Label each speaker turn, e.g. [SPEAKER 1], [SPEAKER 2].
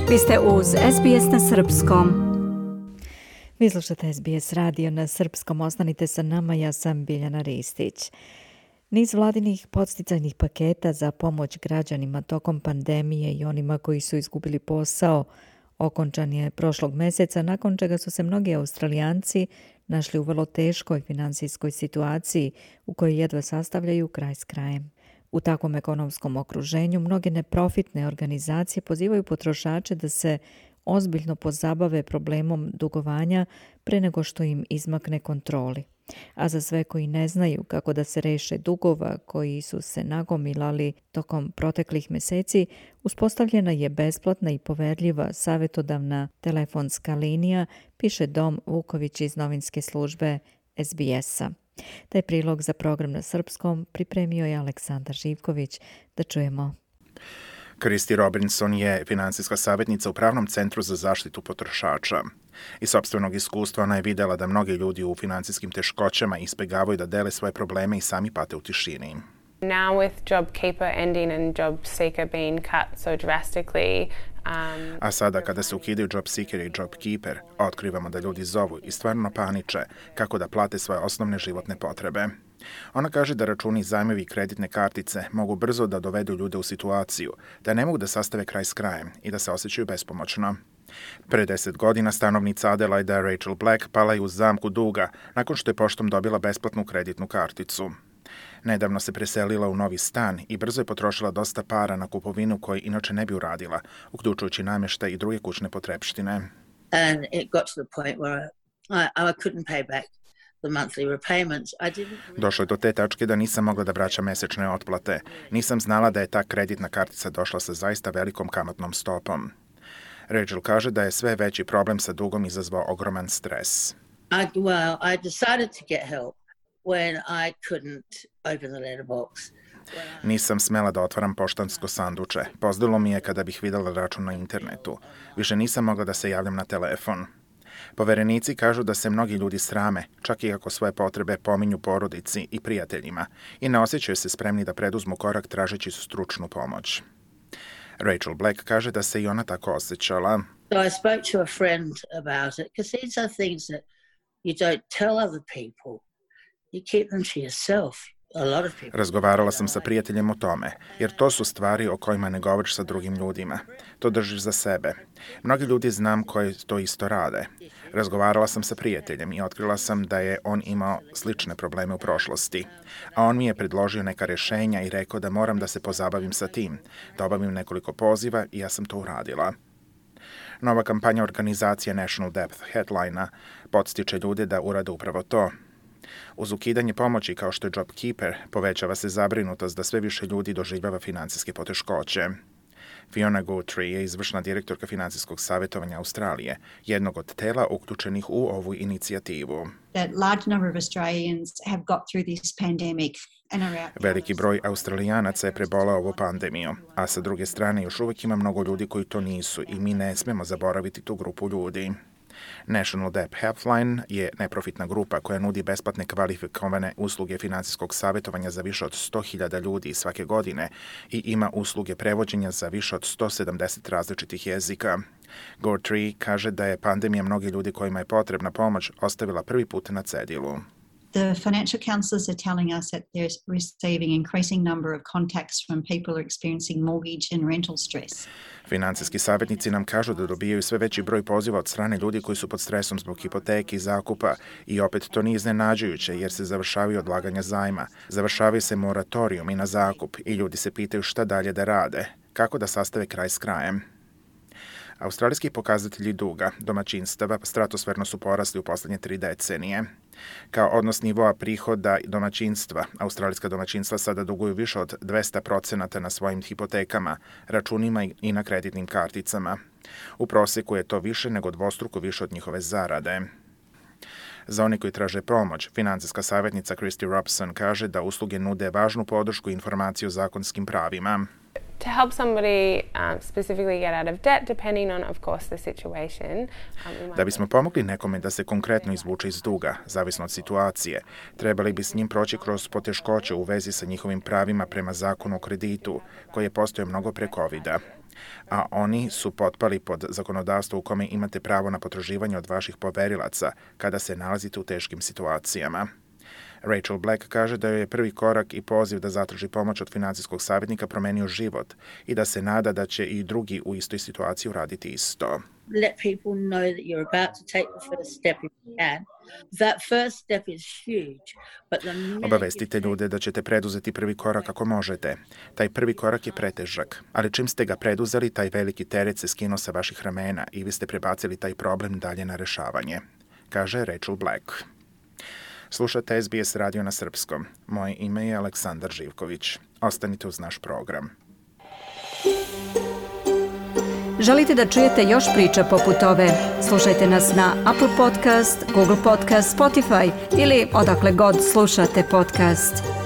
[SPEAKER 1] Vi ste uz SBS na srpskom.
[SPEAKER 2] Vi slušate SBS radio na srpskom. Ostanite sa nama, ja sam Biljana Ristić. Niz vladinih podsticajnih paketa za pomoć građanima tokom pandemije i onima koji su izgubili posao okončan je prošlog mjeseca, nakon čega su se mnogi Australijanci našli u vrlo teškoj financijskoj situaciji u kojoj jedva sastavljaju kraj s krajem. U takvom ekonomskom okruženju mnoge neprofitne organizacije pozivaju potrošače da se ozbiljno pozabave problemom dugovanja pre nego što im izmakne kontroli. A za sve koji ne znaju kako da se reše dugova koji su se nagomilali tokom proteklih mjeseci, uspostavljena je besplatna i poverljiva savjetodavna telefonska linija, piše Dom Vuković iz novinske službe SBS-a. Taj prilog za program na srpskom pripremio je Aleksandar Živković. Da čujemo.
[SPEAKER 3] Kristi Robinson je financijska savjetnica u Pravnom centru za zaštitu potrošača. Iz sopstvenog iskustva ona je vidjela da mnogi ljudi u financijskim teškoćama izbjegavaju da dele svoje probleme i sami pate u tišini.
[SPEAKER 4] Now with JobKeeper ending and JobSeeker being cut so drastically,
[SPEAKER 3] A sada kada se ukidaju JobSeeker i JobKeeper, otkrivamo da ljudi zovu i stvarno paniče kako da plate svoje osnovne životne potrebe. Ona kaže da računi, zajmovi i kreditne kartice mogu brzo da dovedu ljude u situaciju da ne mogu da sastave kraj s krajem i da se osjećaju bespomoćno. Pre 10 godina stanovnica Adelaida Rachel Black pala je u zamku duga nakon što je poštom dobila besplatnu kreditnu karticu. Nedavno se preselila u novi stan i brzo je potrošila dosta para na kupovinu koju inače ne bi uradila, uključujući namještaj i druge kućne potrepštine.
[SPEAKER 5] And it got to the point where I couldn't pay back the monthly repayments.
[SPEAKER 3] Došlo je do te tačke da nisam mogla da vraćam mesečne otplate. Nisam znala da je ta kreditna kartica došla sa zaista velikom kamatnom stopom. Rachel kaže da je sve veći problem sa dugom izazvao ogroman stres.
[SPEAKER 5] I decided to get help when I couldn't open the letterbox.
[SPEAKER 3] Nisam smela da otvaram poštansko sanduče. Pozdalo mi je kada bih vidjela račun na internetu. Više nisam mogla da se javljam na telefon. Poverenici kažu da se mnogi ljudi srame, čak i ako svoje potrebe pominju porodici i prijateljima, i ne osjećaju se spremni da preduzmu korak tražeći stručnu pomoć. Rachel Black kaže da se i ona tako osjećala.
[SPEAKER 5] So I spoke to a friend about it, because these are things that you don't tell other people. You keep them to yourself. A lot of people.
[SPEAKER 3] Razgovarala sam sa prijateljem o tome, jer to su stvari o kojima ne govoriš sa drugim ljudima. To držiš za sebe. Mnogi ljudi znam koji to isto rade. Razgovarala sam sa prijateljem i otkrila sam da je on imao slične probleme u prošlosti. A on mi je predložio neka rješenja i rekao da moram da se pozabavim sa tim, da obavim nekoliko poziva i ja sam to uradila. Nova kampanja organizacije National Debt Headline-a podstiče ljude da urade upravo to. Uz ukidanje pomoći kao što je JobKeeper, povećava se zabrinutost da sve više ljudi doživljava financijske poteškoće. Fiona Guthrie je izvršna direktorka financijskog savjetovanja Australije, jednog od tela uključenih u ovu inicijativu. Veliki broj Australijanaca je prebolao ovu pandemiju, a sa druge strane još uvijek ima mnogo ljudi koji to nisu i mi ne smemo zaboraviti tu grupu ljudi. National Debt Helpline je neprofitna grupa koja nudi besplatne kvalifikovane usluge financijskog savjetovanja za više od 100.000 ljudi svake godine i ima usluge prevođenja za više od 170 različitih jezika. Guthrie kaže da je pandemija mnogi ljudi kojima je potrebna pomoć ostavila prvi put na cedilu.
[SPEAKER 6] The financial counsellors are telling us that they're receiving increasing number of contacts from people who are experiencing mortgage and rental stress.
[SPEAKER 3] Financijski savjetnici nam kažu da dobijaju sve veći broj poziva od strane ljudi koji su pod stresom zbog hipoteke i zakupa i opet to nije iznenađujuće jer se završavaju odlaganja zajma, završavaju se moratorijum i na zakup i ljudi se pitaju šta dalje da rade, kako da sastave kraj s krajem. Australijski pokazatelji duga domaćinstava stratosferno su porasli u posljednje 3 decenije. Kao odnos nivoa prihoda domaćinstva, australijska domaćinstva sada duguju više od 200% na svojim hipotekama, računima i na kreditnim karticama. U prosjeku je to više nego dvostruko više od njihove zarade. Za one koji traže pomoć, financijska savjetnica Kristi Robinson kaže da usluge nude važnu podršku i informaciju o zakonskim pravima.
[SPEAKER 4] To help somebody specifically get out of debt, depending on, of course, the situation.
[SPEAKER 3] Da bismo pomogli nekome da se konkretno izvuče iz duga, zavisno od situacije, trebali bi s njim proći kroz poteškoće u vezi sa njihovim pravima prema zakonu o kreditu, koji je postojao mnogo pre COVID-a. a oni su potpali pod zakonodavstvo u kome imate pravo na potraživanje od vaših poverilaca kada se nalazite u teškim situacijama. Rachel Black kaže da joj je prvi korak i poziv da zatraži pomoć od finansijskog savjetnika promenio život i da se nada da će i drugi u istoj situaciji uraditi isto.
[SPEAKER 5] Let people know that you're about to take the first step if you can. That first step is huge, but the minute
[SPEAKER 3] Obavestite ljude da ćete preduzeti prvi korak ako možete. Taj prvi korak je pretežak, ali čim ste ga preduzeli, taj veliki teret se skinuo sa vaših ramena i vi ste prebacili taj problem dalje na rešavanje, kaže Rachel Black. Slušate SBS radio na srpskom. Moje ime je Aleksandar Živković. Ostanite uz naš program.
[SPEAKER 1] Želite da čujete još priča poput ove? Slušajte nas na Apple Podcast, Google Podcast, Spotify ili odakle god slušate podcast.